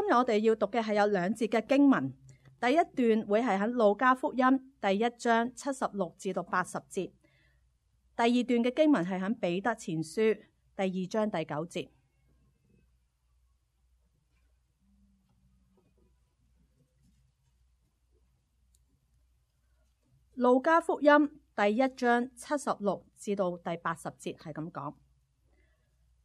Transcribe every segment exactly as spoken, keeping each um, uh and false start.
今日我哋要讀嘅係有兩節嘅經文，第一段會係喺路加福音第一章七十六至到八十節，第二段嘅經文係喺彼得前書第二章第九節。路加福音第一章七十六至到第八十節係咁講：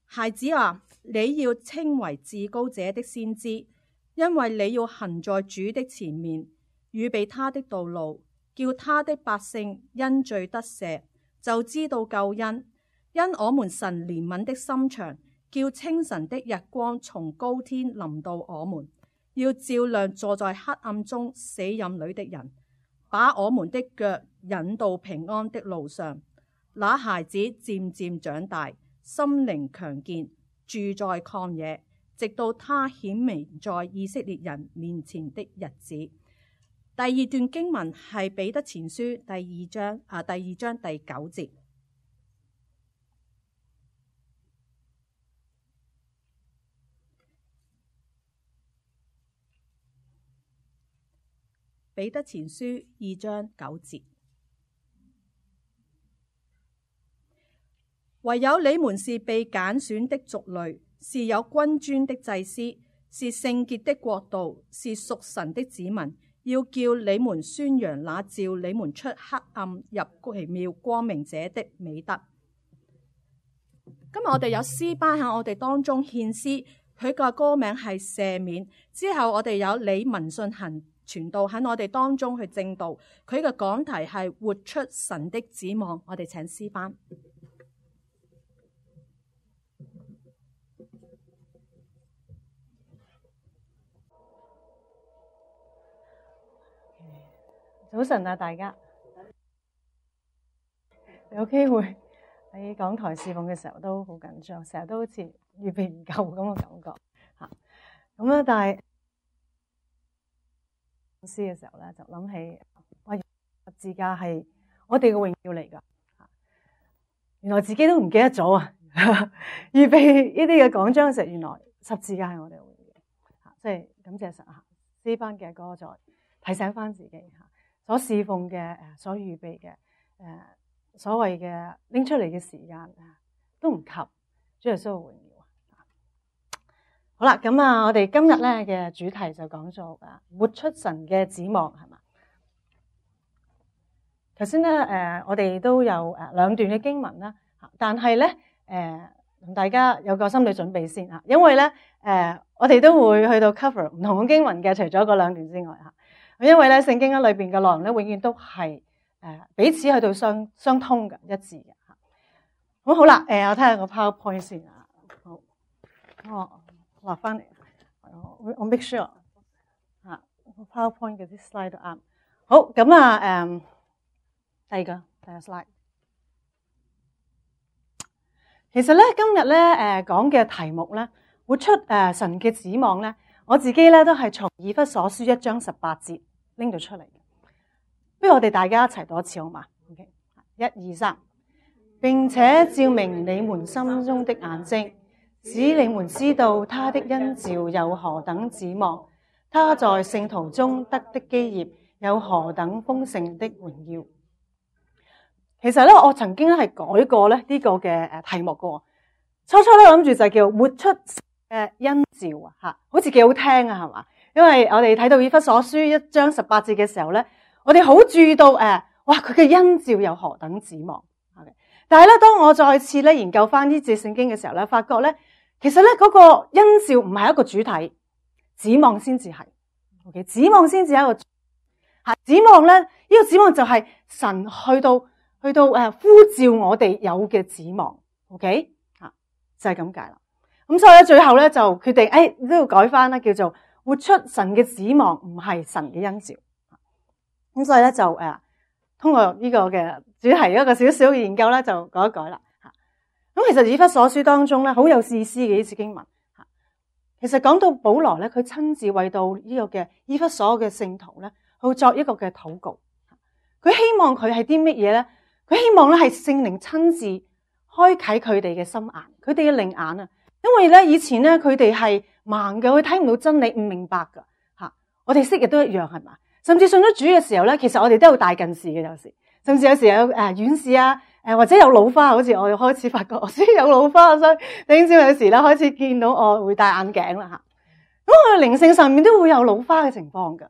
孩子啊，你要稱為至高者的先知，因為你要行在主的前面，預備他的道路，叫他的百姓因罪得赦，就知道救恩。因我們神憐憫的心腸，叫清晨的日光從高天臨到我們，要照亮坐在黑暗中死蔭裏的人，把我們的腳引到平安的路上。那孩子漸漸長大，心靈強健，住在曠野，直到他顯明在以色列人面前的日子。第二段經文係彼得前書第二章啊，第二章第九節。彼得前書二章九節。唯有你們是被揀選的族類，是有君尊的祭司，是聖潔的國度，是屬神的子民，要叫你們宣揚那召你們出黑暗入奇妙光明者的美德。今日我哋有詩班喺我哋當中獻詩，佢個歌名係赦免。之後我哋有李文信行傳道喺我哋當中去證道，佢嘅講題係活出神的指望。我哋請詩班。早晨啊，大家有機會喺講台侍奉嘅時候都好緊張，成日都好似預備唔夠咁嘅感覺吓。咁咧，但係詩嘅時候咧，就諗起哇，十字架係我哋嘅榮耀嚟噶。原來自己都唔記得咗啊！預備呢啲嘅講章嘅時候，原來十字架係我哋嘅榮耀。吓，即係感謝神啊！詩班嘅歌再提醒翻自己吓。所侍奉嘅誒，所預備嘅誒，所謂嘅拎出嚟嘅時間都唔及主耶穌嘅榮耀。好啦，咁啊，我哋今日咧嘅主題就講咗啊，活出神嘅指望，係嘛？頭先咧誒，我哋都有誒兩段嘅經文啦，但係咧誒，同大家有個心理準備先啊，因為咧誒，我哋都會去到 cover 唔同嘅經文嘅，除咗嗰兩段之外吓。因為咧聖經喺裏邊嘅內容咧，永遠都係誒彼此去到相相通嘅一致嘅吓。咁好啦，誒我睇下個 PowerPoint 先啊。好，我落翻嚟，我我 make sure 吓 PowerPoint 嘅啲 slide 都啱。好，咁啊誒，第二個第二個 slide。其實咧今日咧誒講嘅題目咧，活出誒神嘅指望咧。我自己咧都係從以弗所書一章十八節拎到出嚟嘅，不如我哋大家一齊讀一次好嘛 ？OK， 一二三，並且照明你們心中的眼睛，使你們知道他的恩召有何等指望，他在聖徒中得的基業有何等豐盛的榮耀。其實咧，我曾經咧係改過咧呢個嘅誒題目嘅，初初咧諗住就叫活出誒恩召啊，吓，好似幾好聽啊，係嘛？因為我哋睇到以弗所書一章十八節嘅時候咧，我哋好注意到誒，哇，佢嘅恩召有何等指望。但係咧，當我再次咧研究翻呢節聖經嘅時候咧，發覺咧，其實咧嗰個恩召唔係一個主體，指望先至係。OK， 指望先至係一個吓，指望咧呢個指望就係神去到去到誒呼召我哋有嘅指望。OK， 吓就係咁解啦。咁所以咧，最後咧就決定，誒都要改翻啦，叫做活出神嘅指望，唔係神嘅恩召。咁所以咧就誒，通過呢個嘅主題一個少少嘅研究咧，就改一改啦。吓，咁其實以弗所書當中咧，好有意思嘅呢節經文。吓，其實講到保羅咧，佢親自為到呢個嘅以弗所嘅聖徒咧，去作一個嘅禱告。佢希望佢係啲乜嘢咧？佢希望咧係聖靈親自開啟佢哋嘅心眼，佢哋嘅靈眼啊。因為咧以前咧佢哋係盲嘅，佢睇唔到真理，唔明白噶吓。我哋昔日都一樣係嘛？甚至信咗主嘅時候咧，其實我哋都有大近視嘅有時，甚至有時有誒遠視啊，誒或者有老花，好似我開始發覺我先有老花，所以頂少有時咧開始見到我會戴眼鏡啦吓。咁我哋靈性上面都會有老花嘅情況噶，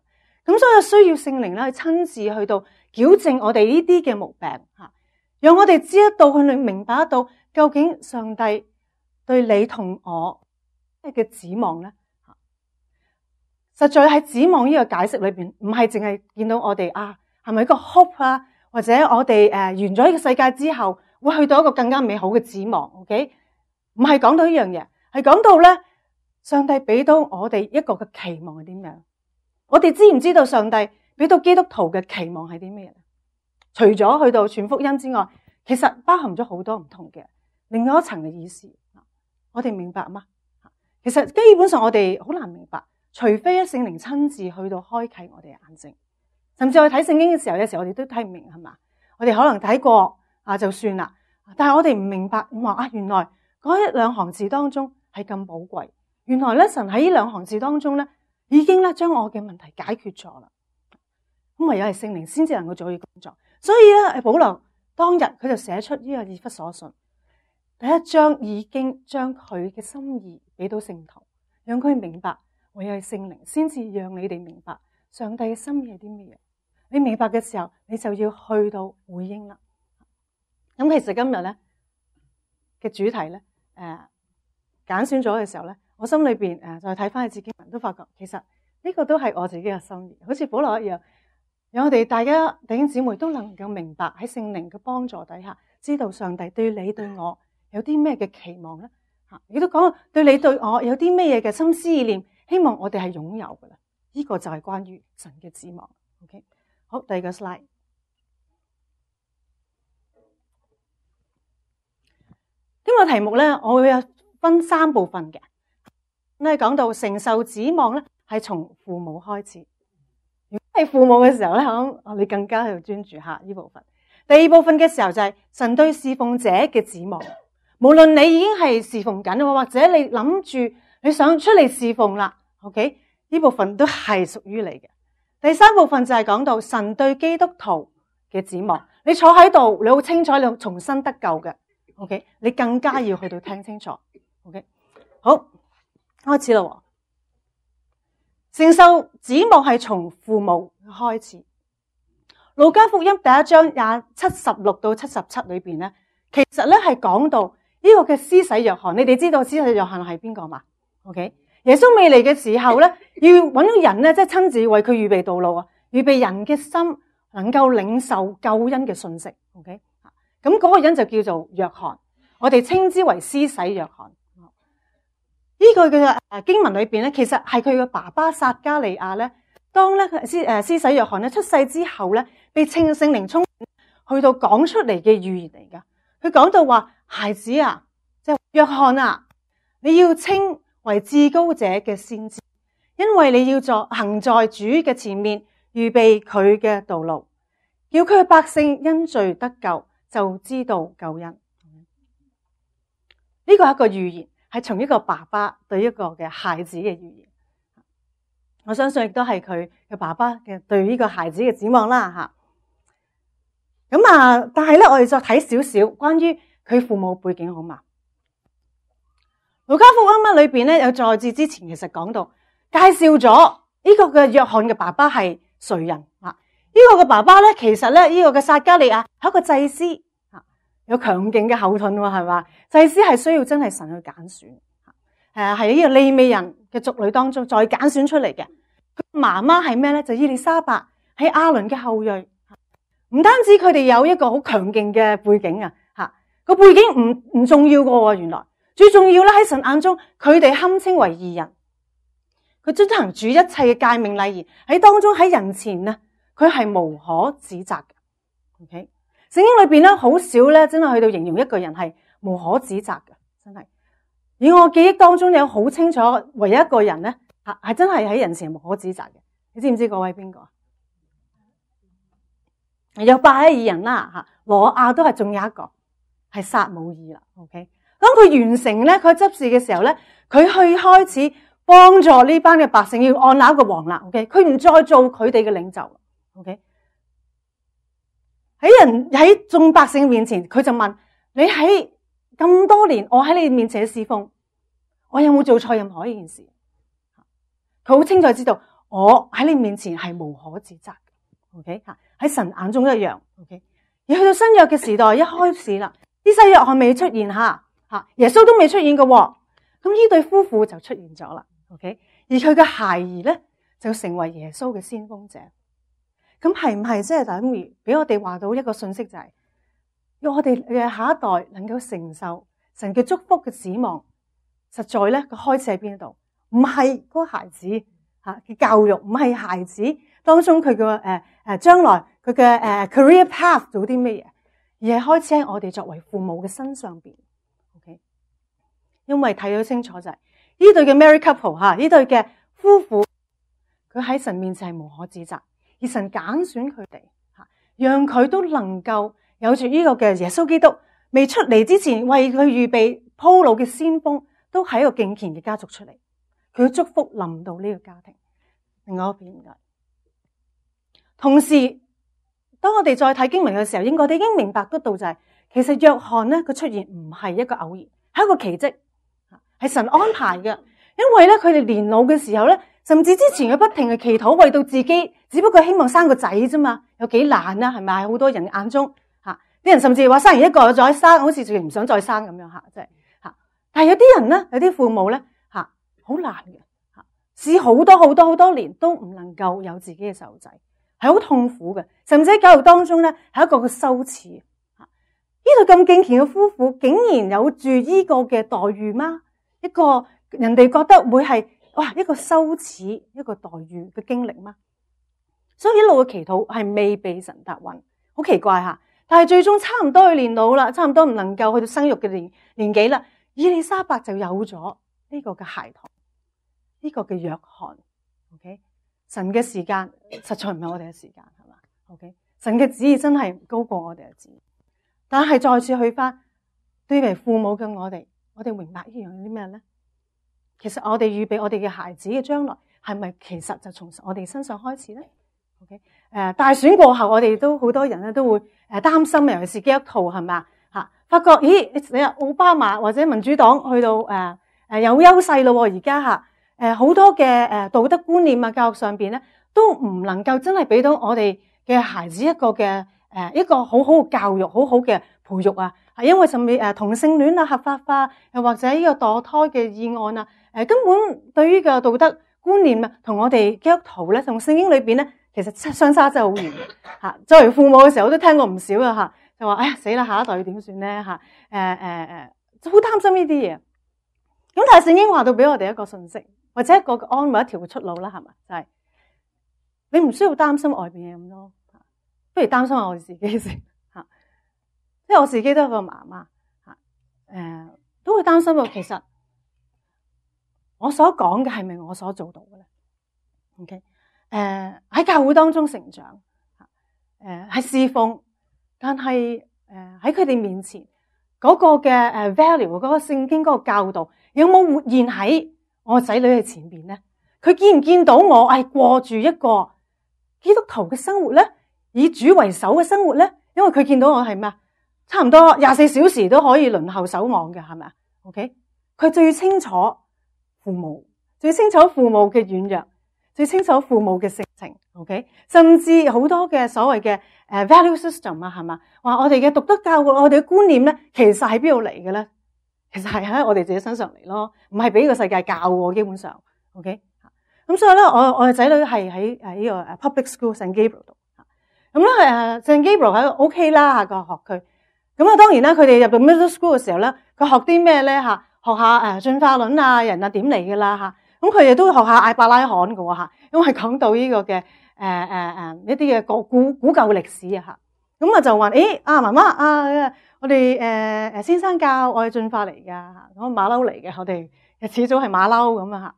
咁所以需要聖靈咧去親自去到矯正我哋呢啲嘅毛病吓，讓我哋知得到，去明白得到究竟上帝對你同我咩嘅指望咧。實在喺指望呢個解釋裏邊，唔係淨係見到我哋啊，係咪一個 hope 啊，或者我哋誒完咗呢個世界之後會去到一個更加美好嘅指望 ，OK？ 唔係講到呢樣嘢，係講到咧上帝俾到我哋一個嘅期望係點樣？我哋知唔知道上帝俾到基督徒嘅期望係啲咩嘢？除咗去到傳福音之外，其實包含咗好多唔同嘅另外一層嘅意思。我哋明白嗎？其實基本上我哋好難明白。除非聖靈親自去到開啟我哋嘅眼睛，甚至我睇聖經嘅時候，有時候我哋都睇唔明係嘛？我哋可能睇過啊就算啦，但係我哋唔明白話啊，原來嗰一兩行字當中係咁寶貴。原來咧神喺呢兩行字當中咧，已經咧將我嘅問題解決咗啦。咁唯有係聖靈先至能夠做呢個工作。所以咧，保羅當日佢就寫出呢個以弗所信第一章，已經將佢嘅心意俾到聖徒，讓佢明白。唯有係聖靈先至讓你哋明白上帝嘅心意係啲咩嘢。你明白嘅時候，你就要去到回應啦。咁其實今日咧嘅主題咧，誒揀選咗嘅時候咧，我心裏邊誒再睇翻去自己文都發覺，其實呢個都係我自己嘅心意，好似保羅一樣，讓我哋大家弟兄姊妹都能夠明白喺聖靈嘅幫助底下，知道上帝對你對我有啲咩嘅期望咧。吓，亦都講對你對我有啲咩嘢嘅心思意念。希望我哋係擁有噶啦，呢、這個就係關於神嘅指望。OK， 好，第二個 slide。呢個題目咧，我會有分三部分嘅。咁講到承受指望咧，係從父母開始。如果係父母嘅時候咧，我你更加去專注下呢部分。第二部分嘅時候就係神對侍奉者嘅指望。無論你已經係侍奉緊，或者你諗住。你想出嚟侍奉啦 ，OK？ 呢部分都係屬於你嘅。第三部分就係講到神對基督徒嘅指望。你坐喺度，你好清楚你重新得救嘅 ，OK？ 你更加要去到聽清楚 ，OK？ 好，開始啦。承受指望係從父母開始。路加福音第一章廿七十六到七十七裏邊咧，其實咧係講到呢個嘅施洗約翰。你哋知道施洗約翰係邊個嘛？OK， 耶穌未嚟嘅時候咧，要搵到人咧，即係親自為佢預備道路啊，預備人嘅心能夠領受救恩嘅信息。OK， 咁嗰個人就叫做約翰，我哋稱之為施洗約翰。呢個嘅誒經文裏邊咧，其實係佢嘅爸爸撒加利亞咧，當咧施誒施洗約翰咧出世之後咧，被稱聖靈充滿，去到講出嚟嘅預言嚟噶。佢講到話：孩子啊，即係約翰啊，你要稱為至高者嘅先知，因為你要作行在主嘅前面，預備佢嘅道路，叫佢嘅百姓因罪得救，就知道救恩。呢個係一個預言，係從一個爸爸對一個嘅孩子嘅預言。我相信亦都係佢嘅爸爸嘅對呢個孩子嘅指望啦吓。咁啊，但係咧，我哋再睇少少關於佢父母背景好嘛？路加福音裏邊咧，有在字之前其實講到介紹咗呢個嘅約翰嘅爸爸係誰人啊？呢個嘅爸爸咧，其實咧呢個嘅撒加利亞係一個祭司啊，有強勁嘅後盾喎，係嘛？祭司係需要真係神去揀選，誒係呢個利未人嘅族類當中再揀選出嚟嘅。佢媽媽係咩咧？就伊麗莎白，係亞倫嘅後裔。唔單止佢哋有一個好強勁嘅背景啊，吓個背景唔唔重要噶喎，原來。最重要咧，喺神眼中，佢哋堪稱為義人，佢遵行主一切嘅誡命禮儀，喺當中喺人前呢，佢係無可指責嘅。OK， 聖經裏邊咧好少咧，真係去到形容一個人係無可指責嘅，真係。以我記憶當中有好清楚，唯一一個人咧係係真係喺人前無可指責嘅。你知唔知嗰位邊個？有八位義人啦，吓羅亞都係仲有一個係撒母耳啦。OK。咁當佢完成咧佢執事嘅時候咧，佢去開始幫助呢班嘅百姓要按立個王啦。OK， 佢唔再做佢哋嘅領袖。OK， 喺人喺眾百姓面前，佢就問你喺咁多年，我喺你面前嘅侍奉，我有冇做錯任何一件事？佢好清楚知道，我喺你面前係無可指責。OK， 喺神眼中一樣。OK， 而去到新約嘅時代一開始啦，啲西約翰未出現吓，吓耶穌都未出現嘅，咁呢對夫婦就出現咗啦。OK， 而佢嘅孩兒咧就成為耶穌嘅先鋒者。咁係唔係即係等於俾我哋話到一個信息，就係要我哋嘅下一代能夠承受神嘅祝福嘅指望？實在咧個開始喺邊度？唔係嗰個孩子吓嘅教育，唔係孩子當中佢嘅誒誒將來佢嘅誒 career path 做啲咩嘢，而係開始喺我哋作為父母嘅身上邊。OK， 因為睇到清楚就係呢對嘅 married couple 吓，呢對嘅夫婦，佢喺神面前係無可指責。而神揀選佢哋，吓讓佢都能夠有住呢個嘅耶穌基督未出嚟之前為佢預備鋪路嘅先鋒，都係一個敬虔嘅家族出嚟。佢嘅祝福臨到呢個家庭。另外一邊嘅，同時當我哋再睇經文嘅時候，應該我哋已經明白得到就係、是，其實約翰咧佢出現唔係一個偶然，係一個奇蹟，係神安排嘅。因為咧佢哋年老嘅時候咧，甚至之前佢不停嘅祈禱，為到自己，只不過希望生個仔啫嘛，有幾難啊？係咪？好多人眼中吓，啲人甚至話生完一個再生，好似仲唔想再生咁樣吓，即係吓。但係有啲人咧，有啲父母咧吓，好難嘅吓，試好多好多好多年都唔能夠有自己嘅細路仔，係好痛苦嘅，甚至喺教育當中咧係一個嘅羞恥吓。呢對咁敬虔嘅夫婦，竟然有住呢個嘅待遇嗎？一個人哋覺得會係哇一個羞恥一個待遇嘅經歷嗎？所以一路嘅祈禱係未被神答允，好奇怪吓。但係最終差唔多去年老啦，差唔多唔能夠去到生育嘅年年紀啦，以利沙伯就有咗呢個嘅孩童，呢、這個嘅約翰。OK， 神嘅時間實在唔係我哋嘅時間，係嘛 ？OK， 神嘅旨意真係高過我哋嘅旨意。但係再次去翻，對為父母嘅我哋，我哋明白呢樣啲咩咧？其實我哋預備我哋嘅孩子嘅將來，係咪其實就從我哋身上開始咧 ？OK， 誒，大選過後，我哋都好多人咧都會誒擔心，尤其是基督徒係咪吓？發覺咦，你話奧巴馬或者民主黨去到誒誒有優勢咯，而家吓誒好多嘅誒道德觀念啊，教育上邊咧都唔能夠真係俾到我哋嘅孩子一個嘅誒一個好好嘅教育，好好嘅培育啊。係因為甚至誒同性戀啊合法化，又或者呢個墮胎嘅議案啊，誒根本對於個道德觀念啊，同我哋基督徒咧，同聖經裏邊咧，其實相差真係好遠嚇。作為父母嘅時候，我都聽過唔少啊嚇，就話哎呀死啦，下一代要點算咧嚇？誒誒誒，好擔心呢啲嘢。咁但係聖經話到俾我哋一個信息，或者一個安慰一條嘅出路啦，係咪？就係、是、你唔需要擔心外邊嘅咁多，不如擔心下我哋自己先嚇。即係我自己都係個媽媽嚇，誒都會擔心啊。其實我所講嘅係咪我所做到嘅咧 ？OK， 誒喺教會當中成長嚇，誒係侍奉，但係誒喺佢哋面前嗰個嘅誒 value 嗰個聖經嗰個教導有冇活現喺我仔女嘅前邊咧？佢見唔見到我係過住一個基督徒嘅生活咧，以主為首嘅生活咧？因為佢見到我係咩啊？差唔多廿四小時都可以輪候守望嘅，係咪啊 ？OK， 佢最清楚父母，最清楚父母嘅軟弱，最清楚父母嘅性情。OK， 甚至好多嘅所謂嘅誒 value system 啊，係嘛？話我哋嘅道德教育，我哋嘅觀念咧，其實係邊度嚟嘅咧？其實係喺我哋自己身上嚟咯，唔係俾呢個世界教喎。基本上 ，OK， 咁所以咧，我我嘅仔女係喺誒呢個 public school Saint Gabriel 度，咁咧誒 Saint Gabriel 喺 OK 啦個學區。咁啊，當然啦，佢哋入到 middle school 嘅時候咧，佢學啲咩咧吓？學下誒進化論啊，人啊點嚟嘅啦吓。咁佢哋都會學下艾伯拉罕嘅吓，因為講到呢個嘅誒誒誒一啲嘅古古古舊歷史啊吓。咁啊就話誒啊媽媽啊，我哋誒誒先生教我係進化嚟噶吓，我馬騮嚟嘅，我哋始早係馬騮咁啊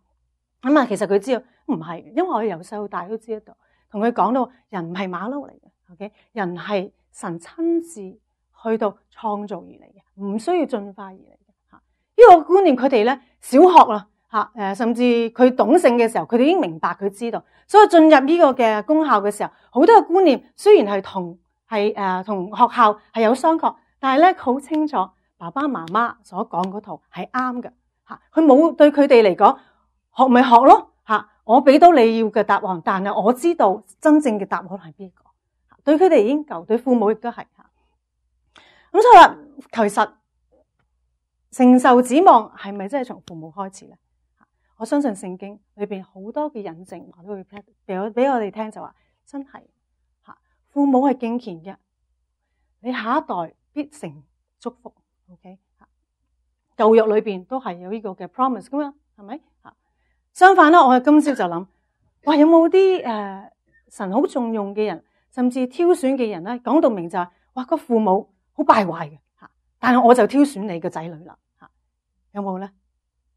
吓。咁啊，其實佢知道唔係，因為我哋由細到大都知道，同佢講到人唔係馬騮嚟嘅 ，OK， 人係神親自去到創造而嚟嘅，唔需要進化而嚟嘅吓。呢個觀念佢哋咧小學啦嚇誒，甚至佢懂性嘅時候，佢哋已經明白佢知道，所以進入呢個嘅公校嘅時候，好多嘅觀念雖然係同係誒同學校係有相確，但係咧好清楚爸爸媽媽所講嗰套係啱嘅嚇，佢冇對佢哋嚟講學咪學咯嚇，我俾到你要嘅答案，但係我知道真正嘅答案係邊個，對佢哋已經夠，對父母亦都係嚇。咁所以話其實承受指望係咪真係從父母開始咧？我相信聖經裏邊好多嘅引證，我都會俾我俾我哋聽就話真係嚇，父母係敬虔嘅，你下一代必成祝福。OK 嚇，舊約裏邊都係有呢個嘅 promise 噶嘛，係咪嚇？相反啦，我係今朝就諗，哇有冇啲誒神好重用嘅人，甚至挑選嘅人咧，講到明就係哇個父母好敗壞嘅嚇，但係我就挑選你嘅仔女啦嚇，有冇咧？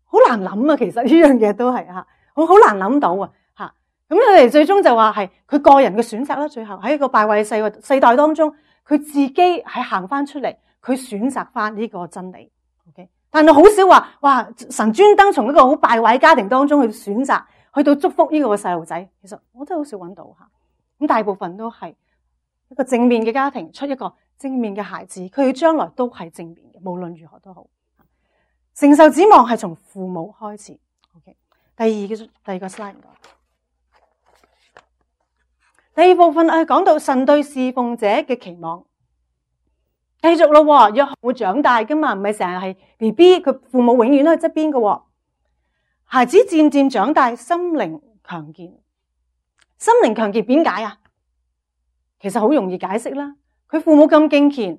好難諗啊，其實呢樣嘢都係嚇，我好難諗到啊嚇。咁佢哋最終就話係佢個人嘅選擇啦。最後喺一個敗壞嘅世世代當中，佢自己係行翻出嚟，佢選擇翻呢個真理。OK， 但係好少話哇神專登從一個好敗壞嘅家庭當中去選擇，去到祝福呢個細路仔。其實我真係好少揾到嚇。咁大部分都係一個正面嘅家庭出一個正面嘅孩子，佢將來都係正面嘅，無論如何都好。承受指望係從父母開始。OK， 第二嘅第二個 slide 唔該。第二部分係講到神對侍奉者嘅期望。繼續咯，約翰會長大噶嘛，唔係成日係 B B， 佢父母永遠都喺側邊嘅。孩子漸漸長大，心靈強健。心靈強健點解啊？其實好容易解釋啦。佢父母咁敬虔，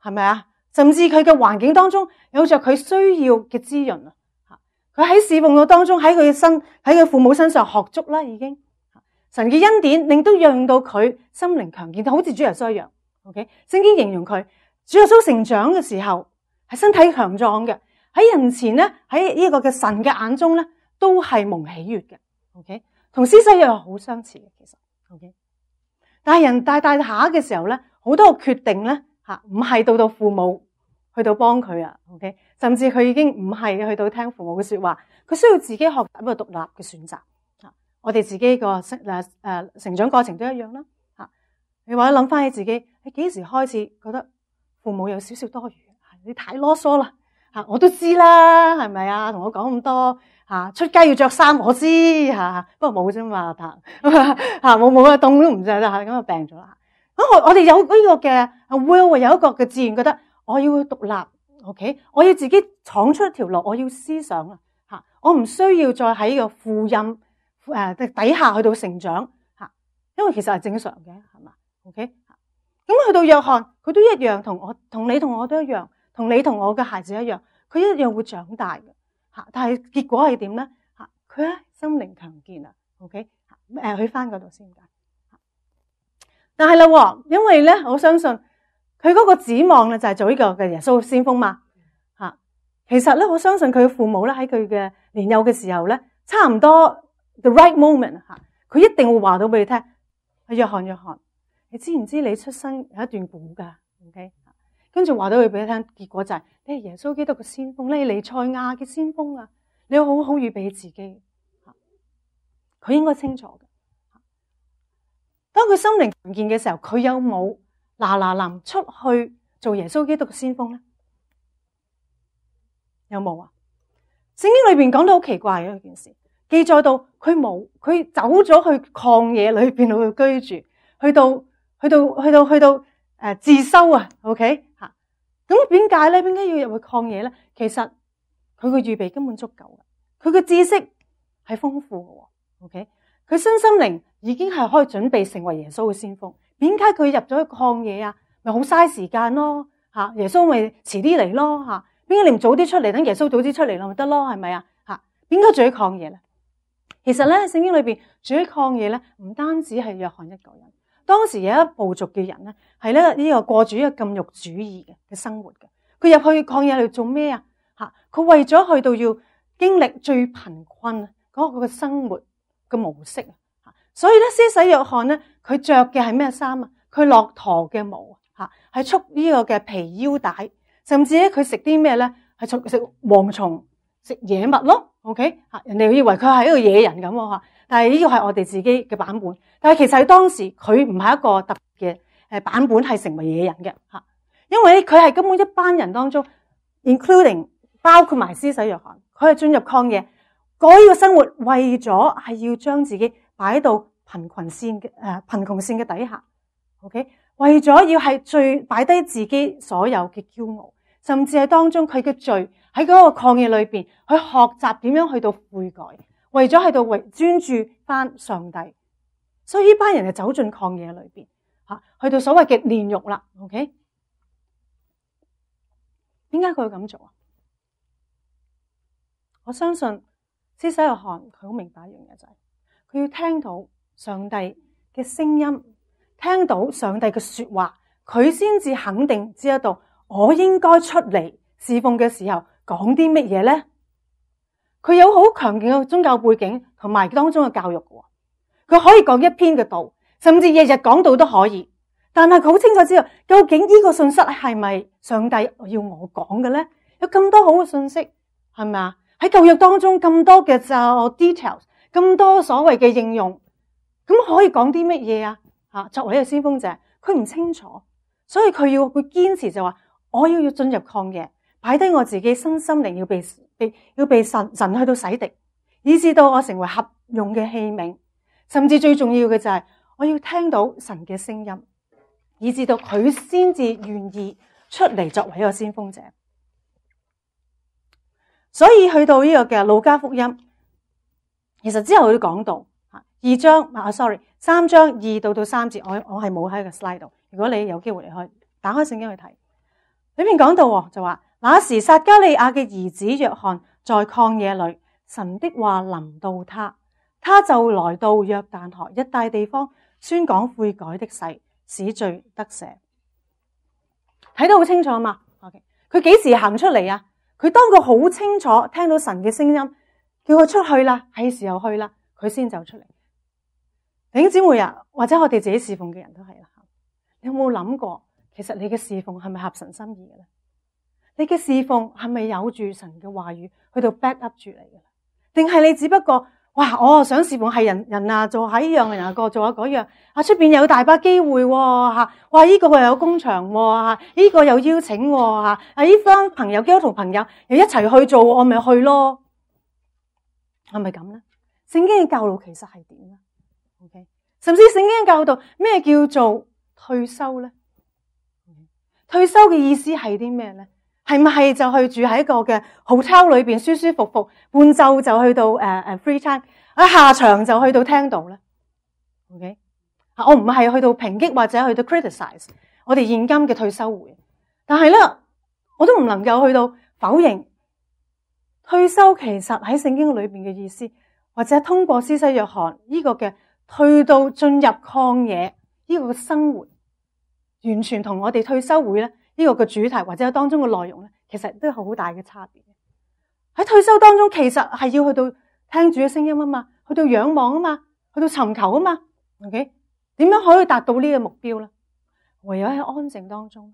係咪啊？甚至佢嘅環境當中有着佢需要嘅滋潤啊！佢喺侍奉嘅當中，喺佢嘅身喺佢父母身上學足啦，已經神嘅恩典令到讓到佢心靈強健，好似主耶穌一樣。OK， 聖經形容佢主耶穌成長嘅時候係身體強壯嘅，喺人前咧喺呢個嘅神嘅眼中咧都係蒙喜悅嘅。OK， 同施洗約翰好相似嘅其實。OK， 但係人大大下嘅時候咧，好多個決定咧。吓，唔係到到父母去到幫佢啊 ，OK， 甚至佢已經唔係去到聽父母嘅說話，佢需要自己學習一個獨立嘅選擇。吓，我哋自己個誒誒成長過程都一樣啦。吓，你或者諗翻起自己，你幾時開始覺得父母有少少多餘？你太囉嗦啦。吓，我都知啦，係咪啊？同我講咁多吓，出街要着衫，我知吓，不過冇啫嘛，吓冇冇啊，凍都唔着啦，咁就病咗啦。我我哋有呢個嘅 will， 有一個嘅自然覺得我要獨立 ，OK， 我要自己闖出一條路，我要思想啊吓，我唔需要再喺個父蔭誒底下去到成長吓，因為其實係正常嘅，係嘛 ，OK， 咁去到約翰，佢都一樣，同我同你同我都一樣，同你同我嘅孩子一樣，佢一樣會長大嘅吓，但係結果係點咧吓？佢咧心靈強健啊 ，OK， 誒去翻嗰度先。但係啦，因為咧，我相信佢嗰個指望咧就係做呢個嘅耶穌先鋒嘛吓。其實咧，我相信佢嘅父母咧喺佢嘅年幼嘅時候咧，差唔多 the right moment 吓，佢一定會話到俾你聽。約翰約翰，你知唔知你出生有一段古噶 ？OK， 跟住話到佢俾你聽，結果就係你係耶穌基督嘅先鋒，你係彌賽亞嘅先鋒啊！你要好好預備自己，佢應該清楚嘅。當佢心靈強健嘅時候，佢有冇嗱嗱臨出去做耶穌基督嘅先鋒咧？有冇啊？聖經裏邊講到好奇怪嘅一件事，記載到佢冇，佢走咗去曠野裏邊去居住，去到去到去到去到誒自修啊 ，OK 吓？咁點解咧？點解要入去曠野咧？其實佢嘅預備根本足夠嘅，佢嘅知識係豐富嘅 ，OK。佢身心靈已經係可以準備成為耶穌嘅先鋒，點解佢入咗去曠野啊？咪好嘥時間咯吓，耶穌咪遲啲嚟咯吓，點解你唔早啲出嚟，等耶穌早啲出嚟咯咪得咯，係咪啊吓？點解住喺曠野咧？其實咧，聖經裏邊住喺曠野咧，唔單止係約翰一個人，當時有一部族嘅人咧，係咧呢個過住一個禁欲主義嘅嘅生活嘅。佢入去曠野嚟做咩啊？吓，佢為咗去到要經歷最貧困嗰個嘅生活嘅模式啊，所以咧，施洗約翰咧，佢着嘅係咩衫啊？佢駱駝嘅毛吓，係束呢個嘅皮腰帶，甚至咧佢食啲咩咧？係食食蝗蟲、食野物咯。OK， 人哋以為佢係一個野人咁吓，但係呢個係我哋自己嘅版本。但係其實喺當時佢唔係一個特別嘅誒版本，係成為野人嘅吓，因為佢係根本一班人當中 ，including 包括埋施洗約翰，佢係進入曠野改呢個生活，為咗係要將自己擺到貧困線嘅誒貧窮線嘅底下。OK， 為咗要係最擺低自己所有嘅驕傲，甚至係當中佢嘅罪喺嗰個曠野裏邊去學習點樣去到悔改，為咗喺度為專注翻上帝。所以呢班人就走進曠野裏邊吓，去到所謂嘅煉獄啦。OK， 點解佢會咁做啊？我相信施洗約翰佢好明白一樣嘢，就係佢要聽到上帝嘅聲音，聽到上帝嘅說話，佢先至肯定知道我應該出嚟侍奉嘅時候講啲乜嘢咧。佢有好強勁嘅宗教背景同埋當中嘅教育嘅，佢可以講一篇嘅道，甚至日日講道都可以。但係佢好清楚知道究竟呢個信息係咪上帝要我講嘅咧？有咁多好嘅信息，係咪啊？喺舊約當中咁多嘅就 details， 咁多所謂嘅應用，咁可以講啲乜嘢啊？吓，作為一個先鋒者，佢唔清楚，所以佢要佢堅持就話，我要要進入曠野，擺低我自己身心靈要被被要被神神去到洗滌，以至到我成為合用嘅器皿，甚至最重要嘅就係我要聽到神嘅聲音，以至到佢先至願意出嚟作為一個先鋒者。所以去到呢個嘅路加福音，其實之後佢都講到二章啊 ，sorry， 三章二到到三節，我我係冇喺個 slide 度。如果你有機會，你可以打開聖經去睇。裏面講到就話，那時撒加利亞嘅兒子約翰在曠野裏，神的話臨到他，他就來到約旦河一帶地方，宣講悔改的誓，使罪得赦。睇得好清楚嘛 ？OK， 佢幾時行出嚟啊？佢當佢好清楚聽到神嘅聲音，叫佢出去啦，係時候去啦，佢先走出嚟。弟兄姊妹啊，或者我哋自己侍奉嘅人都係啦。你有冇諗過，其實你嘅侍奉係咪合神心意嘅咧？你嘅侍奉係咪有住神嘅話語去到 back up 住你嘅咧？定係你只不過哇，我想侍奉係人人啊，做下呢樣，人啊個做下嗰樣啊，出邊有大把機會吓，哇呢個又有工場吓，呢個又邀請吓，啊呢班朋友基督徒朋友又一齊去做，我咪去咯，係咪咁咧？聖經嘅教導其實係點咧？OK， 甚至聖經嘅教導咩叫做退休咧？退休嘅意思係啲咩咧？係咪係就去住喺一個嘅 hotel 裏邊舒舒服服，半晝就去到誒誒、uh, free time， 啊下場就去到聽道咧 ？OK， 我唔係去到抨擊或者去到 criticize 我哋現今嘅退休會，但係咧我都唔能夠去到否認退休其實喺聖經裏邊嘅意思，或者通過施洗約翰呢個嘅去到進入曠野呢個嘅生活，完全同我哋退休會咧呢個嘅主題或者當中嘅內容咧，其實都有好大嘅差別。喺退休當中，其實係要去到聽主嘅聲音啊嘛，去到仰望啊嘛，去到尋求啊嘛。OK， 點樣可以達到呢個目標咧？唯有喺安靜當中。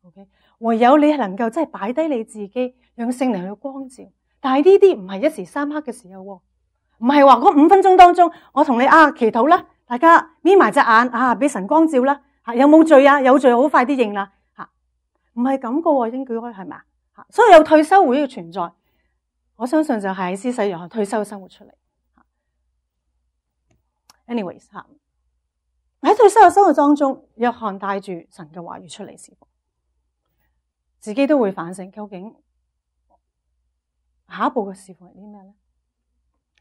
OK， 唯有你係能夠真係擺低你自己，讓聖靈去光照。但係呢啲唔係一時三刻嘅時候，唔係話嗰五分鐘當中，我同你啊祈禱啦，大家眯埋隻眼啊，俾神光照啦。吓，有冇罪啊？有罪好快啲認啦。吓，唔係咁個，應該係咪啊？吓，所以有退休會嘅存在，我相信就係施洗約翰退休生活出嚟。anyways 吓，喺退休嘅生活當中，約翰帶住神嘅話語出嚟侍奉，自己都會反省究竟下一步嘅侍奉係啲咩咧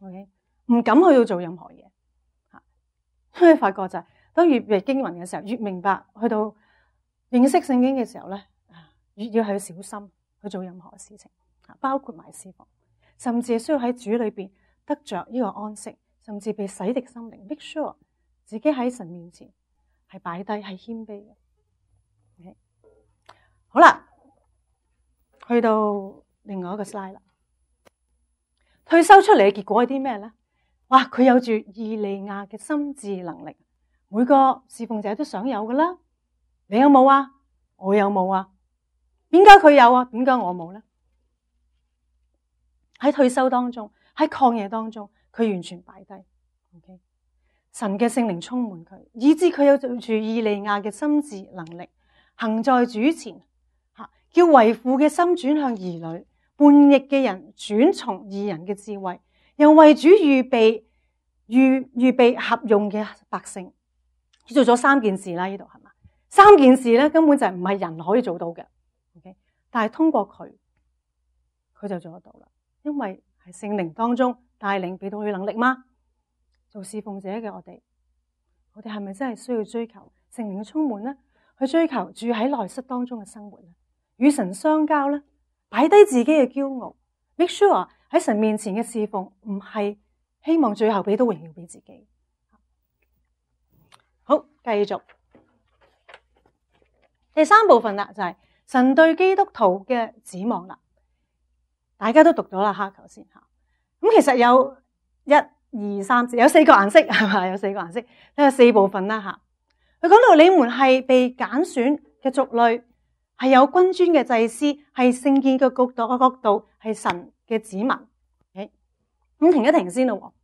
？OK， 唔敢去到做任何嘢，吓，因為發覺就係、是。當越閱經文嘅時候，越明白去到認識聖經嘅時候咧，越要去小心去做任何事情，包括埋侍奉，甚至係需要喺主裏邊得着呢個安息，甚至被洗滌心靈 ，make sure 自己喺神面前係擺低係謙卑嘅。Okay? 好啦，去到另外一個 slide 啦，退休出嚟嘅結果係啲咩咧？哇，佢有住以利亞嘅心智能力。每個侍奉者都想有噶啦，你有冇啊？我有冇啊？點解佢有啊？點解我冇咧？喺退休當中，喺曠野當中，佢完全擺低。Okay? 神嘅聖靈充滿佢，以致佢有住以利亞嘅心智能力，行在主前，叫為父嘅心轉向兒女，叛逆嘅人轉從義人嘅智慧，又為主預備預預備合用嘅百姓。做咗三件事啦，呢度係嘛？三件事咧根本就唔係人可以做到嘅。Okay? 但係通過佢，佢就做得到啦，因為係聖靈當中帶領俾到佢能力嗎？做侍奉者嘅我哋，我哋係咪真係需要追求聖靈嘅充滿呢？去追求住喺內室當中嘅生活呢？與神相交呢？擺低自己嘅驕傲 ，make sure 喺神面前嘅侍奉唔係希望最後俾到榮耀俾自己。好，繼續第三部分啦，就係神對基督徒嘅指望啦。大家都讀咗啦，哈，頭先吓。咁其實有一二三四，有四個顏色係嘛？有四個顏色，有四部分啦吓。佢講到你們係被揀選嘅族類，係有君尊嘅祭司，係聖潔嘅角度嘅角度，係神嘅子民。咁、okay? 停一停先咯。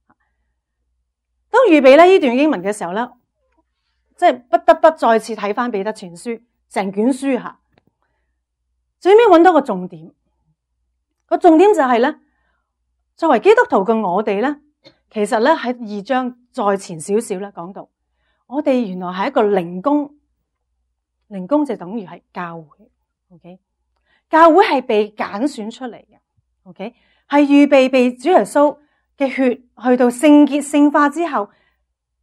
當預備咧呢段經文嘅時候咧，即係不得不再次睇翻彼得前書成卷書吓，最尾揾到個重點。個重點就係咧，作為基督徒嘅我哋咧，其實咧喺二章再前少少咧講到，我哋原來係一個靈宮，靈宮就等於係教會 ，OK？ 教會係被揀選出嚟嘅 ，OK？ 係預備被主耶穌嘅血去到聖潔聖化之後，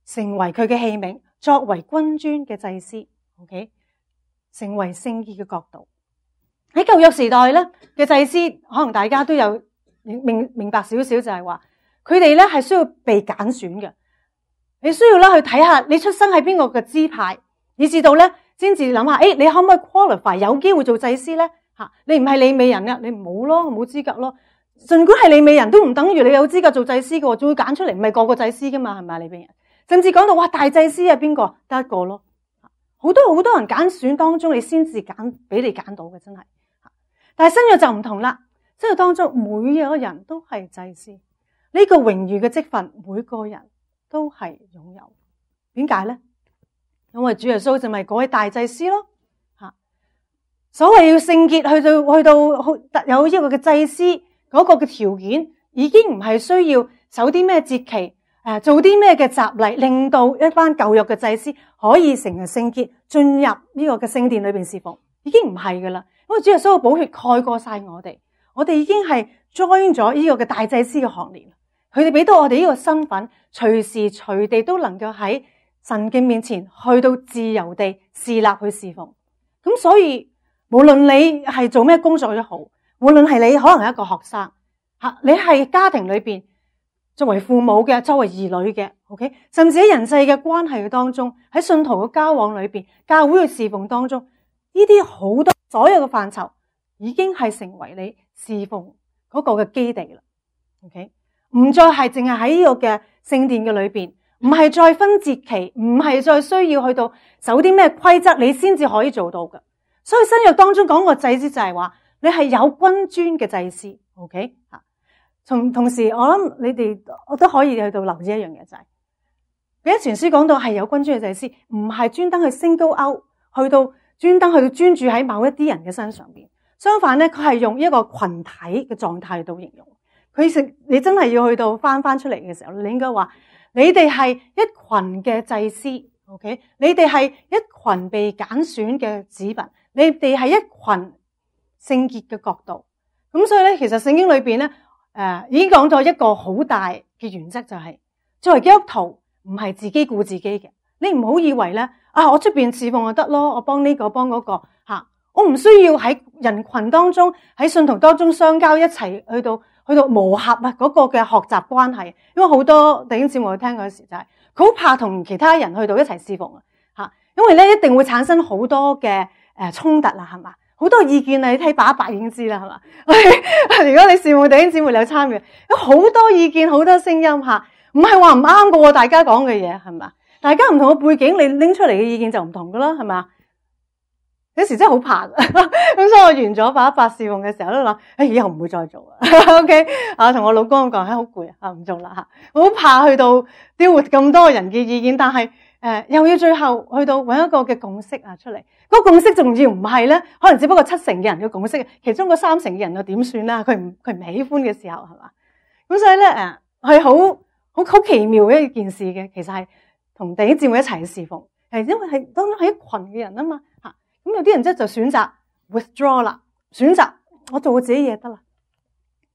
成為佢嘅器皿，作為君尊嘅祭司 ，OK？ 成為聖潔嘅國度。喺舊約時代咧嘅祭司，可能大家都有明明白少少，就係話佢哋咧係需要被揀選嘅。你需要咧去睇下你出生喺邊個嘅支派，以至到咧先至諗下，誒，你可唔可以 qualify 有機會做祭司咧？吓，你唔係利未人嘅，你冇咯，冇資格咯。盡管係利未人都唔等於你有資格做祭司嘅，仲會揀出嚟，唔係個個祭司噶嘛，係咪啊？利未人甚至講到哇，大祭司係邊個？得一個咯。好多好多人揀選當中，你先至揀俾你揀到嘅，真係。但係新約就唔同啦，新約當中每一個人都係祭司，呢個榮譽嘅職分，每個人都係擁有。點解咧？因為主耶穌就咪嗰位大祭司咯。吓，所謂要聖潔，去到去到有一個嘅祭司嗰個嘅條件，已經唔係需要守啲咩節期，誒，做啲咩嘅習例，令到一班舊約嘅祭司可以成為聖潔，進入呢個嘅聖殿裏邊侍奉，已經唔係噶啦。因為主耶穌嘅寶血蓋過晒我哋，我哋已經係 join 咗呢個嘅大祭司嘅行列。佢哋俾到我哋呢個身份，隨時隨地都能夠喺神嘅面前去到自由地侍立去侍奉。咁所以無論你係做咩工作都好，無論係你可能係一個學生吓，你係家庭裏邊作為父母嘅，作為兒女嘅 ，OK， 甚至喺人際嘅關係嘅當中，喺信徒嘅交往裏邊，教會嘅侍奉當中，呢啲好多所有嘅範疇已經係成為你侍奉嗰個嘅基地啦。OK， 唔再係淨係喺呢個嘅聖殿嘅裏邊，唔係再分節期，唔係再需要去到守啲咩規則，你先至可以做到嘅。所以新約當中講個祭司就係話，你係有君尊嘅祭司。OK， 吓，同同時我諗你哋我都可以去到留意一樣嘢就係，彼得前書講到係有君尊嘅祭司，唔係專登去 single out，去到專登去到專注喺某一啲人嘅身上邊。相反咧，佢係用一個群體嘅狀態去到形容。佢食你真係要去到翻翻出嚟嘅時候，你應該話你哋係一群嘅祭司 ，OK？ 你哋係一群被揀選嘅子民，你哋係一群聖潔嘅國度。咁所以咧，其實聖經裏邊咧，誒、呃、已經講咗一個好大嘅原則，就係、是、作為基督徒唔係自己顧自己嘅。你唔好以為咧，啊我出邊侍奉就得咯，我幫呢個幫嗰個吓，我唔需要喺人群當中喺信徒當中相交，一齊去到去到磨合啊嗰個嘅學習關係。因為好多弟兄姊妹去聽嗰時就係佢好怕同其他人去到一齊侍奉啊吓，因為咧一定會產生好多嘅誒衝突啦，係嘛？好多意見啊，你睇把把已經知啦，係嘛？如果你羨慕弟兄姊妹有參與，有好多意見，好多聲音吓，唔係話唔啱嘅喎，大家講嘅嘢係嘛？大家唔同嘅背景，你拎出嚟嘅意見就唔同噶啦，係嘛？有時真係好怕嘅，咁所以我完咗八一八侍奉嘅時候都諗，誒以後唔會再做啦。OK 啊，同我老公講，誒好攰啊，唔做啦嚇，我好怕去到丟活咁多人嘅意見，但係誒、呃、又要最後去到揾一個嘅共識啊出嚟。嗰、那個共識仲要唔係咧，可能只不過七成嘅人嘅共識，其中嗰三成嘅人又點算啦？佢唔佢唔喜歡嘅時候係嘛？咁所以咧誒係好好好奇妙嘅一件事嘅，其實係同弟兄姊妹一齊侍奉，係因為係當中係一群嘅人啊嘛嚇。咁有啲人即係就選擇 withdraw 啦，選擇我做我自己嘢得啦。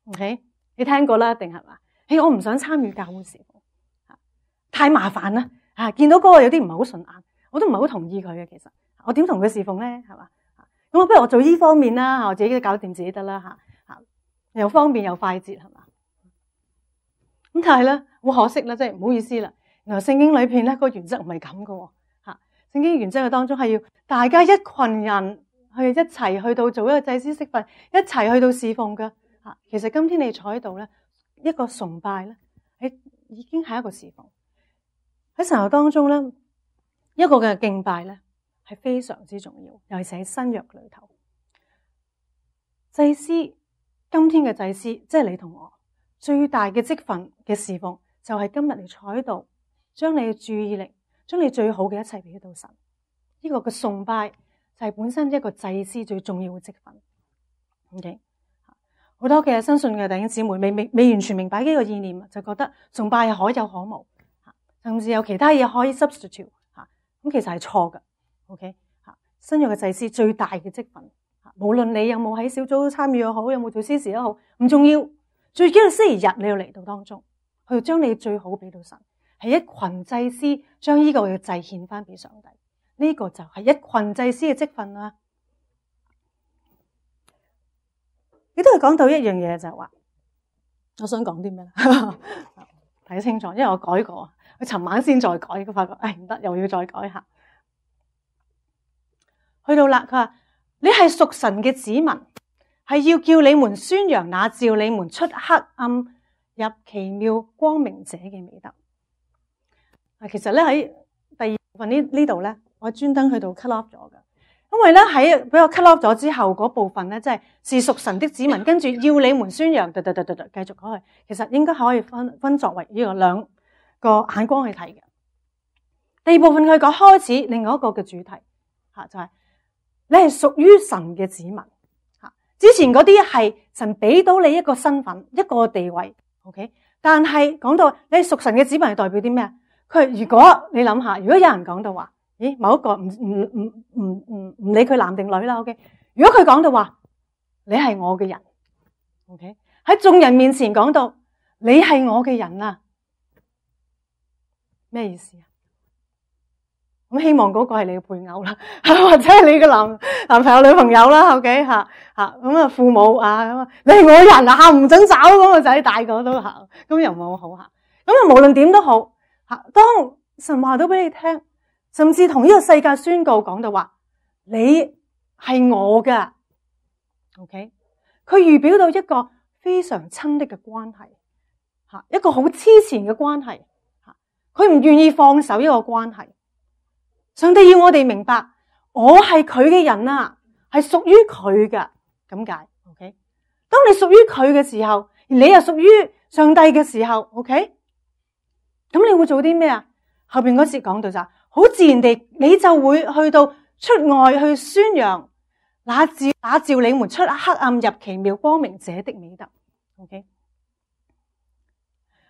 OK， 你聽過啦，定係嘛？誒，我唔想參與教會侍奉，太麻煩啦。啊，見到嗰個有啲唔係好順眼，我都唔係好同意佢嘅。其實我點同佢侍奉咧？係嘛？咁我不如我做呢方面啦，我自己都搞掂自己得啦嚇嚇，又方便又快捷係嘛？咁但係咧，好可惜啦，即係唔好意思啦。原來聖經裏邊咧個原則唔係咁噶。聖經原則嘅當中係要大家一群人去一齊去到做一個祭司職份，一齊去到侍奉嘅吓。其實今天你坐喺度咧，一個崇拜咧，係已經係一個侍奉。喺神學當中咧，一個嘅敬拜咧係非常之重要，尤其是喺新約裏頭。祭司，今天嘅祭司，即係你同我最大嘅職份嘅侍奉，就係今日你坐喺度，將你嘅注意力。將你最好嘅一切俾到神，呢、這個嘅崇拜就係本身一個祭司最重要嘅職分。OK， 好多嘅新信嘅弟兄姊妹未未未完全明白呢個意念，就覺得崇拜係可有可無，甚至有其他嘢可以 substitute 吓，咁其實係錯嘅。OK， 吓新約嘅祭司最大嘅職分，無論你有冇喺小組參與又好，有冇做司事都好，唔重要，最緊要星期日你要嚟到當中，去將你最好俾到神。係一群祭司將呢個嘅祭獻翻俾上帝，呢、這個就係一群祭司嘅職分啦。亦都係講到一樣嘢，就係話，我想講啲咩咧？睇清楚，因為我改過，我尋晚先再改，佢發覺誒唔得，又要再改下。去到啦，佢話你係屬神嘅子民，係要叫你們宣揚那召你們出黑暗入奇妙光明者嘅美德。其實咧喺第二部分呢呢度咧，我專登去到 cut off 咗嘅，因為咧喺俾我 cut off 咗之後嗰部分咧，即係是屬神的子民，跟住要你們宣揚，噠噠噠噠噠，繼續講去，其實應該可以分分作為呢個兩個眼光去睇嘅。第二部分佢講開始另外一個嘅主題吓，就係、是、你係屬於神嘅子民吓，之前嗰啲係神俾到你一個身份一個地位 ，OK， 但係講到你係屬神嘅子民係代表啲咩？佢如果你諗下，如果有人講到話，咦，某一個唔唔唔唔唔唔理佢男定女啦 ，OK。如果佢講到話，你係我嘅人 ，OK， 喺眾人面前講到你係我嘅人啊，咩意思啊？咁希望嗰個係你嘅配偶啦，或者係你嘅男男朋友、女朋友啦 ，OK 吓吓咁啊，父母啊咁啊，你係我人啊，唔准找嗰個仔大個都行，咁又冇好吓。咁啊，無論點都好。當神話到俾你聽，甚至同呢個世界宣告講到話，你係我㗎 ，OK， 佢預表到一個非常親昵嘅關係，吓一個好黐纏嘅關係，吓佢唔願意放手呢個關係。上帝要我哋明白，我係佢嘅人啊，係屬於佢㗎，咁解 ，OK。當你屬於佢嘅時候，而你又屬於上帝嘅時候 ，OK。咁你會做啲咩啊？後邊嗰節講到就好自然地，你就會去到出外去宣揚那召那召你們出黑暗入奇妙光明者的美德。OK，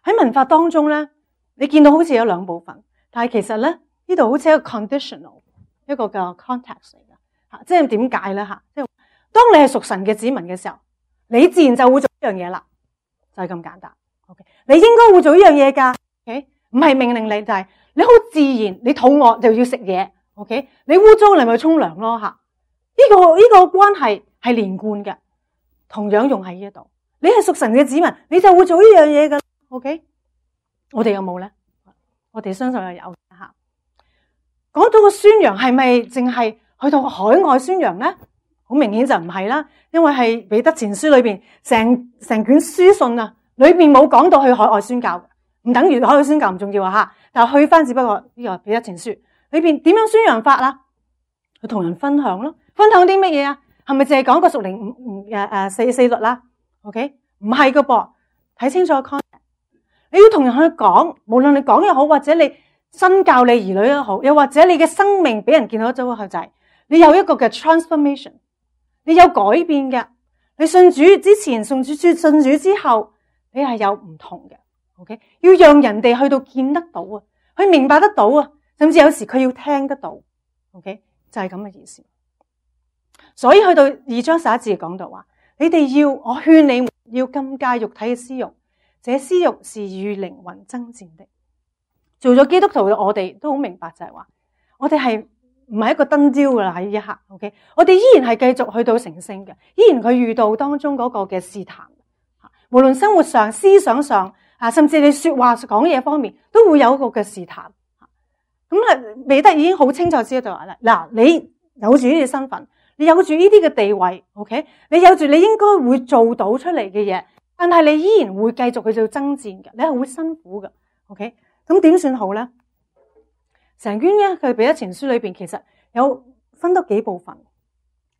喺文法當中咧，你見到好似有兩部分，但係其實咧呢度好似一個 conditional 一個嘅 context 嚟嘅吓，即係點解咧吓？即係當你係屬神嘅子民嘅時候，你自然就會做呢樣嘢啦，就係咁簡單。OK， 你應該會做呢樣嘢噶。OK， 唔係命令你，就係你好自然，你肚餓就要食嘢。OK， 你污糟你咪沖涼咯吓。呢個呢個關係係連貫嘅，同樣用喺呢度。你係屬神嘅子民，你就會做呢樣嘢噶。OK， 我哋有冇咧？我哋相信係有吓。講到個宣揚係咪淨係去到海外宣揚咧？好明顯就唔係啦，因為係彼得前書裏邊成成卷書信啊，裏邊冇講到去海外宣教嘅。唔等於海外宣教唔重要啊吓，但係去翻只不過呢個彼得前書裏邊點樣宣揚法啦？去同人分享咯，分享啲乜嘢啊？係咪淨係講個屬靈五五誒誒四四律啦 ？OK， 唔係噶噃，睇清楚 context。你要同人去講，無論你講又好，或者你身教你兒女又好，又或者你嘅生命俾人見到咗個就係你有一個嘅 transformation， 你有改變嘅。你信主之前，信主信主之後，你係有唔同嘅。OK， 要讓人哋去到見得到啊，去明白得到啊，甚至有時佢要聽得到。OK， 就係咁嘅意思。所以去到二章十一節講到話，你哋要我勸你們要禁戒肉體嘅私欲，這私欲是與靈魂爭戰的。做咗基督徒嘅我哋都好明白就係話，我哋係唔係一個燈焦噶啦喺呢一刻。OK， 我哋依然係繼續去到成聖嘅，依然佢遇到當中嗰個嘅試探，無論生活上、思想上啊，甚至你說話講嘢方面，都會有一個嘅試探。咁啊，彼得已經好清楚知道話啦，嗱，你有住呢啲身份，你有住呢啲嘅地位 ，OK， 你有住你應該會做到出嚟嘅嘢，但係你依然會繼續去做爭戰嘅，你係會辛苦嘅 ，OK， 咁點算好咧？成卷咧，佢彼得前書裏邊其實有分得幾部分，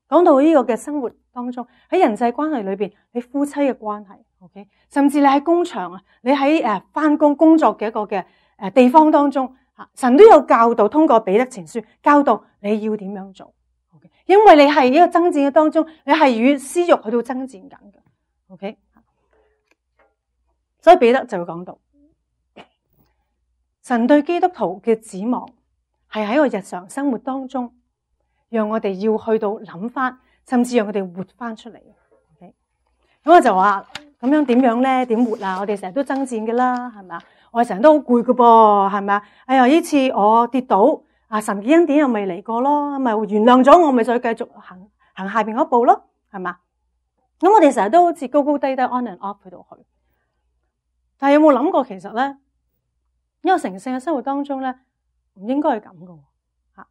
講到呢個嘅生活當中，喺人際關係裏邊，你夫妻嘅關係 ，OK， 甚至你喺工場啊，你喺誒翻工工作嘅一個嘅誒地方當中。神都有教導，通過彼得前書教導你要點樣做 ，OK？ 因為你係呢個爭戰嘅當中，你係與私欲去到爭戰緊嘅 ，OK？ 所以彼得就會講到，神對基督徒嘅指望係喺個日常生活當中，讓我哋要去到諗翻，甚至讓我哋活翻出嚟 ，OK？ 咁我就話咁樣點樣咧？點活啊？我哋成日都爭戰嘅啦，係咪啊？我成日都好攰㗎噃，係咪啊？哎呀，呢次我跌倒，啊神嘅恩典又未嚟過咯，咪原諒咗我，咪再繼續行行下邊嗰步咯，係嘛？咁我哋成日都好似高高低低 on and off 去到去，但係有冇諗過其實咧，呢個成聖嘅生活當中咧，唔應該係咁㗎吓，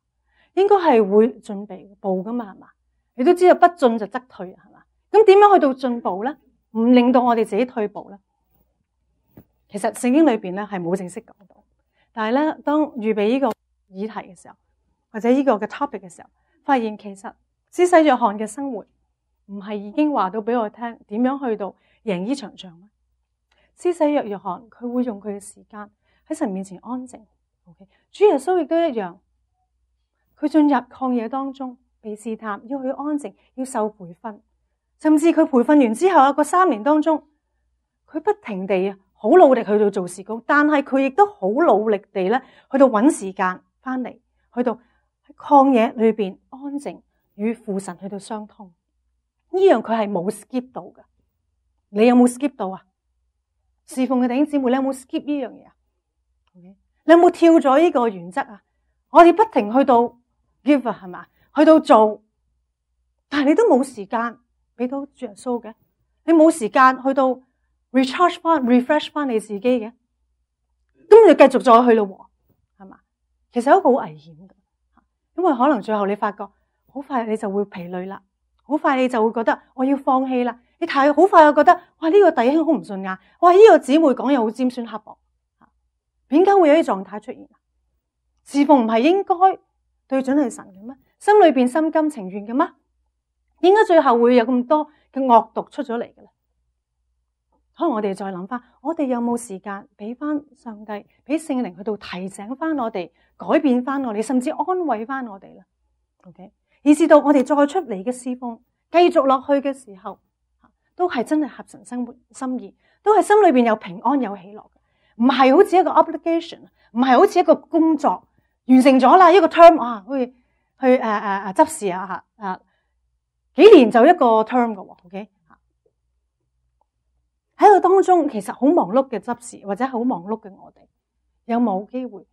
應該係會進步噶嘛，係嘛？你都知道不進就則退，係嘛？咁點樣去到進步咧？唔令到我哋自己退步咧？其實聖經裏邊咧係冇正式講到，但係咧當預備呢個議題嘅時候，或者呢個嘅 topic 嘅時候，發現其實施洗約翰嘅生活唔係已經話到俾我聽點樣去到贏呢場仗咩？施洗約約翰佢會用佢嘅時間喺神面前安靜。OK， 主耶穌亦都一樣，佢進入曠野當中被試探，要去安靜，要受培訓，甚至佢培訓完之後啊，個三年當中，佢不停地啊。好努力去到做事工，但係佢亦都好努力地咧，去到揾時間翻嚟，去到喺曠野裏邊安靜與父神去到相通。呢樣佢係冇 skip 到嘅。你有冇 skip 到啊？侍奉嘅弟兄姊妹，你有冇 skip 呢樣嘢啊？ Okay? 你有冇跳咗呢個原則啊？我哋不停去到 give 係嘛，去到做，但係你都冇時間俾到主耶穌嘅，你冇時間去到。recharge 翻 refresh 翻你自己嘅，咁你繼續再去咯，係嘛？其實都好危險嘅，因為可能最後你發覺好快你就會疲累啦，好快你就會覺得我要放棄啦。你睇好快又覺得哇呢個弟兄好唔順眼，哇呢個姊妹講嘢好尖酸刻薄，點解會有啲狀態出現？侍奉唔係應該對準係神嘅咩？心裏邊心甘情願嘅咩？點解最後會有咁多嘅惡毒出咗嚟嘅咧？可能我哋再諗翻，我哋有冇時間俾翻上帝，俾聖靈去到提醒翻我哋，改變翻我哋，甚至安慰翻我哋咧 ？OK， 以至到我哋再出嚟嘅侍奉，繼續落去嘅時候，都係真係合神生活心意，都係心裏邊有平安有喜樂嘅，唔係好似一個 obligation， 唔係好似一個工作完成咗啦，一個 term 啊，去去誒誒誒執事啊吓啊，幾年就一個 term 嘅 ，OK。喺個當中，其實好忙碌嘅執事，或者好忙碌嘅我哋，有冇機會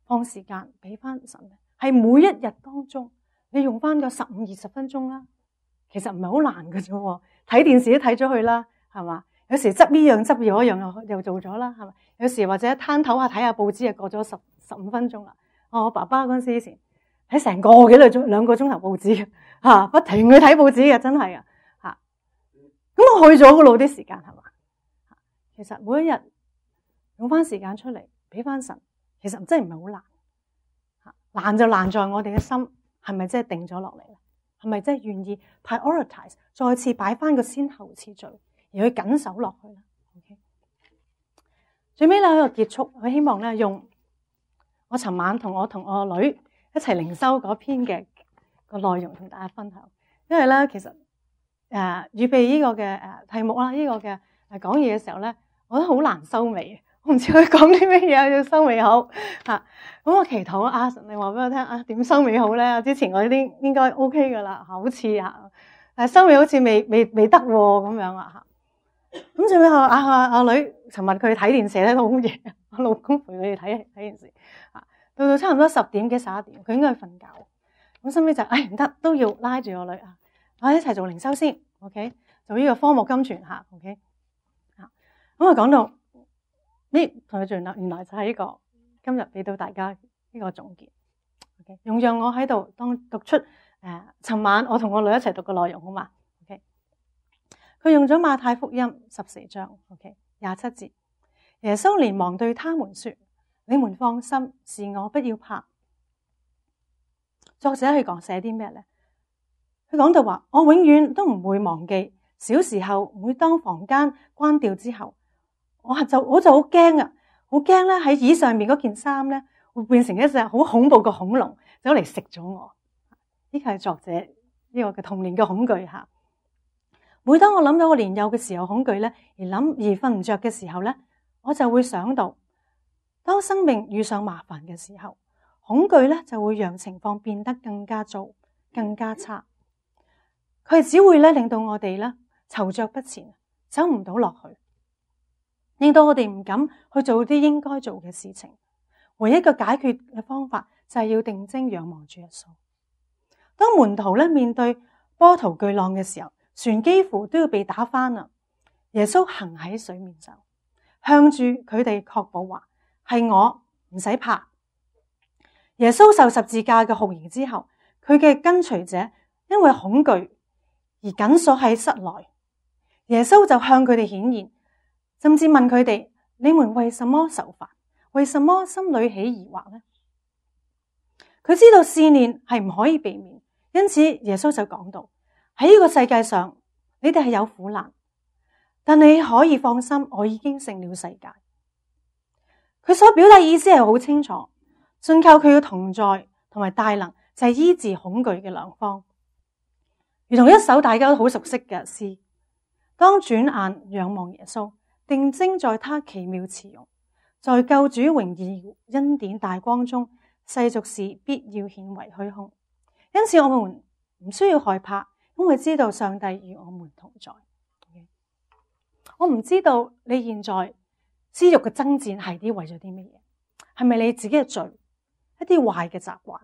放時間俾翻神咧？係每一日當中，你用翻個十五二十分鐘啦，其實唔係好難嘅啫。睇電視都睇咗去啦，係嘛？有時執呢樣執嗰樣又又做咗啦，係嘛？有時或者攤頭下睇下報紙，又過咗十十五分鐘啦。我爸爸嗰陣時以前睇成個幾個鐘兩個鐘頭報紙吓，不停去睇報紙嘅，真係啊吓。咁我去咗嗰度啲時間係嘛？其實每一日用翻時間出嚟俾翻神，其實真係唔係好難，難就難在我哋嘅心係咪真係定咗落嚟咧？係咪真係願意 prioritize， 再次擺翻個先後次序，而去緊守落去咧 ？OK， 最尾咧喺度結束，我希望咧用我尋晚同我同我女一齊靈修嗰篇嘅個內容同大家分享，因為咧其實誒、呃、預備呢個嘅誒題目啦，呢、這個嘅誒講嘢嘅時候咧，我覺得好難收尾，我唔知佢講啲咩嘢要收尾好嚇。咁、啊、我祈禱阿神，你話俾我聽啊，點收尾好咧？之前我啲應該 OK 噶啦，好似啊，但係收尾好似未未未得咁樣啊嚇。咁最尾我阿阿阿女尋日佢睇電視咧都好夜，我老公陪佢哋睇睇電視啊，到到差唔多十點幾十一點，佢應該去瞓覺。咁收尾就誒唔得，都要拉住我女啊，啊一齊做靈修先 ，OK， 做呢個科目金傳嚇 ，OK， 啊咁啊講到呢同佢做啦，原來就係呢個今日俾到大家呢個總結 ，OK， 用讓我喺度當讀出誒，尋、呃、晚我同我女一齊讀嘅內容好嘛 ，OK， 佢用咗馬太福音十四章 ，OK， 廿七節，耶穌連忙對他們說：你們放心，是我，不要怕。作者去講寫啲咩咧？佢講到話，我永遠都唔會忘記小時候，每當房間關掉之後，我就我就好驚啊，好驚咧喺椅上面嗰件衫咧會變成一隻好恐怖嘅恐龍走嚟食咗我。呢個係作者呢個嘅童年嘅恐懼吓。每當我諗到我年幼嘅時候恐懼咧，而諗而瞓唔着嘅時候咧，我就會想到，當生命遇上麻煩嘅時候，恐懼咧就會讓情況變得更加糟、更加差。佢只會咧令到我哋咧躊躇不前，走唔到落去，令到我哋唔敢去做啲應該做嘅事情。唯一嘅解決嘅方法就係要定睛仰望主耶穌。當門徒咧面對波濤巨浪嘅時候，船幾乎都要被打翻啦。耶穌行喺水面上，向住佢哋確保話：係我，唔使怕。耶穌受十字架嘅酷刑之後，佢嘅跟隨者因為恐懼而緊鎖喺室內。耶穌就向佢哋顯現，甚至問佢哋：你們為什麼愁煩？為什麼心裏起疑惑呢？佢知道試煉係唔可以避免，因此耶穌就講到：喺呢個世界上，你哋係有苦難，但你可以放心，我已經勝了世界。佢所表達意思係好清楚。信靠佢嘅同在同埋大能，就係醫治恐懼嘅良方。如同一首大家都好熟悉嘅詩：當轉眼仰望耶穌，定睛在他奇妙慈容，在救主榮耀恩典大光中，世俗事必要顯為虛空。因此我們唔需要害怕，因為知道上帝與我們同在。我唔知道你現在私欲嘅爭戰係啲為咗啲乜嘢？係咪你自己嘅罪？一啲壞嘅習慣，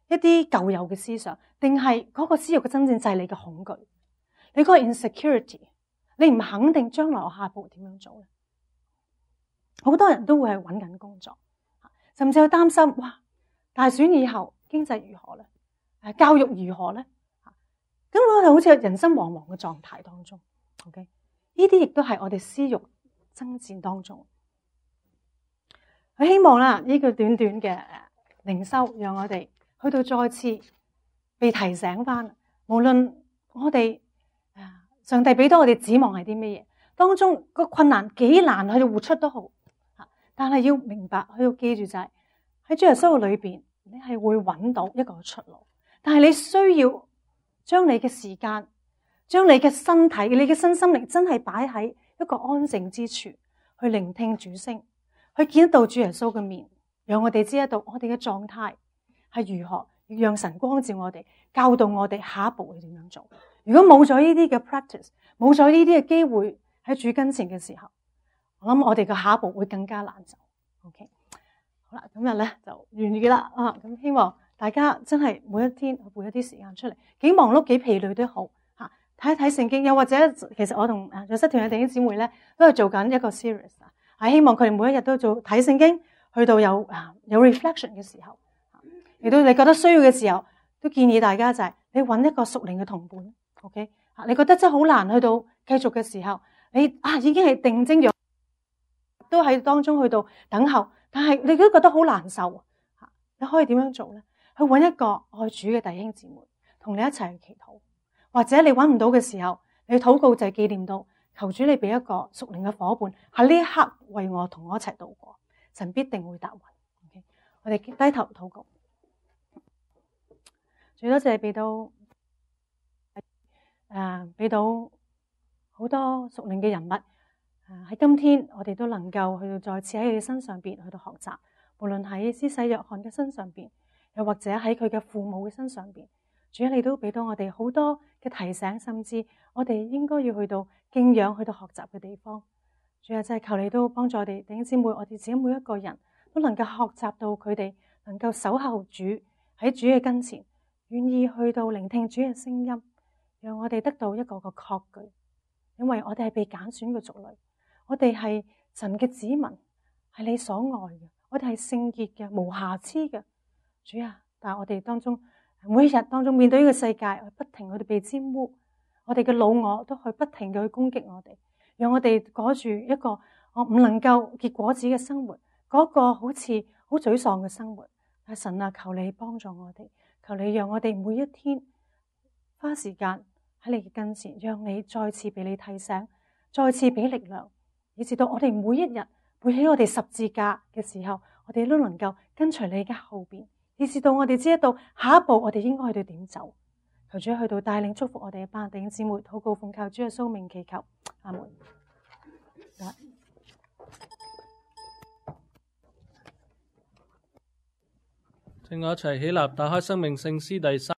一啲舊有嘅思想，定係嗰個私欲嘅真正就係你嘅恐懼，你嗰個 insecurity， 你唔肯定將來我下一步點樣做咧？好多人都會係揾緊工作，甚至去擔心，哇，大選以後經濟如何咧？誒，教育如何咧？咁我哋好似人生惶惶嘅狀態當中 ，OK？ 呢啲亦都係我哋私欲爭戰當中。我希望啦，呢個短短嘅靈修，讓我哋去到再次被提醒翻，無論我哋上帝俾到我哋指望係啲咩嘢，當中個困難幾難去活出都好，但係要明白，去到記住就係喺主耶穌裏邊，你係會揾到一個出路，但係你需要將你嘅時間，將你嘅身體、你嘅身心靈真係擺喺一個安靜之處，去聆聽主聲，去見得到主耶穌嘅面。讓我哋知得到我哋嘅狀態係如何，讓神光照我哋，教導我哋下一步會點樣做。如果冇咗呢啲嘅 practice， 冇咗呢啲嘅機會喺主跟前嘅時候，我諗我哋嘅下一步會更加難走。OK， 好啦，今日咧就完結啦啊！咁希望大家真係每一天撥一啲時間出嚟，幾忙碌幾疲累都好吓，睇一睇聖經。又或者其實我同啊約瑟團嘅弟兄姊妹咧都係做緊一個 series 啊，係希望佢哋每一日都做睇聖經。去到有啊有 reflection 嘅時候，亦都你覺得需要嘅時候，都建議大家就係你揾一個屬靈嘅同伴 ，OK？ 你覺得真係好難去到繼續嘅時候，你啊已經係定睛咗，都喺當中去到等候，但係你都覺得好難受，你可以點樣做咧？去揾一個愛主嘅弟兄姊妹，同你一齊去祈禱，或者你揾唔到嘅時候，你禱告就係紀念到，求主你俾一個屬靈嘅伙伴喺呢一刻為我同我一齊度過，神必定會答允。Okay? 我哋低頭禱告，最多謝俾到誒，俾到好多屬靈嘅人物誒，喺今天我哋都能夠去到再次喺佢嘅身上邊去到學習，無論喺施洗約翰嘅身上邊，又或者喺佢嘅父母嘅身上邊，主啊，你都俾到我哋好多嘅提醒，甚至我哋應該要去到敬仰、去到學習嘅地方。主啊，真係求你都幫助我哋弟兄姊妹，我哋自己每一個人都能夠學習到佢哋能夠守候主喺主嘅跟前，願意去到聆聽主嘅聲音。讓我哋得到一個個確據，因為我哋係被揀選嘅族類，我哋係神嘅子民，係你所愛嘅，我哋係聖潔嘅、無瑕疵嘅。主啊，但係我哋當中每一日當中面對呢個世界，不停我哋被沾污，我哋嘅老我都去不停嘅去攻擊我哋，讓我哋過住一個我唔能夠結果子嘅生活，嗰個好似好沮喪嘅生活。但神啊，求你幫助我哋，求你讓我哋每一天花時間喺你嘅跟前，讓你再次俾你提醒，再次俾力量，以至到我哋每一日背起我哋十字架嘅時候，我哋都能夠跟隨你嘅後邊，以至到我哋知道下一步我哋應該去到點走。求主去到帶領祝福我哋嘅班弟兄姊妹，禱告奉靠主嘅蘇名祈求，阿門。請我一齊起立，打開生命聖詩第三。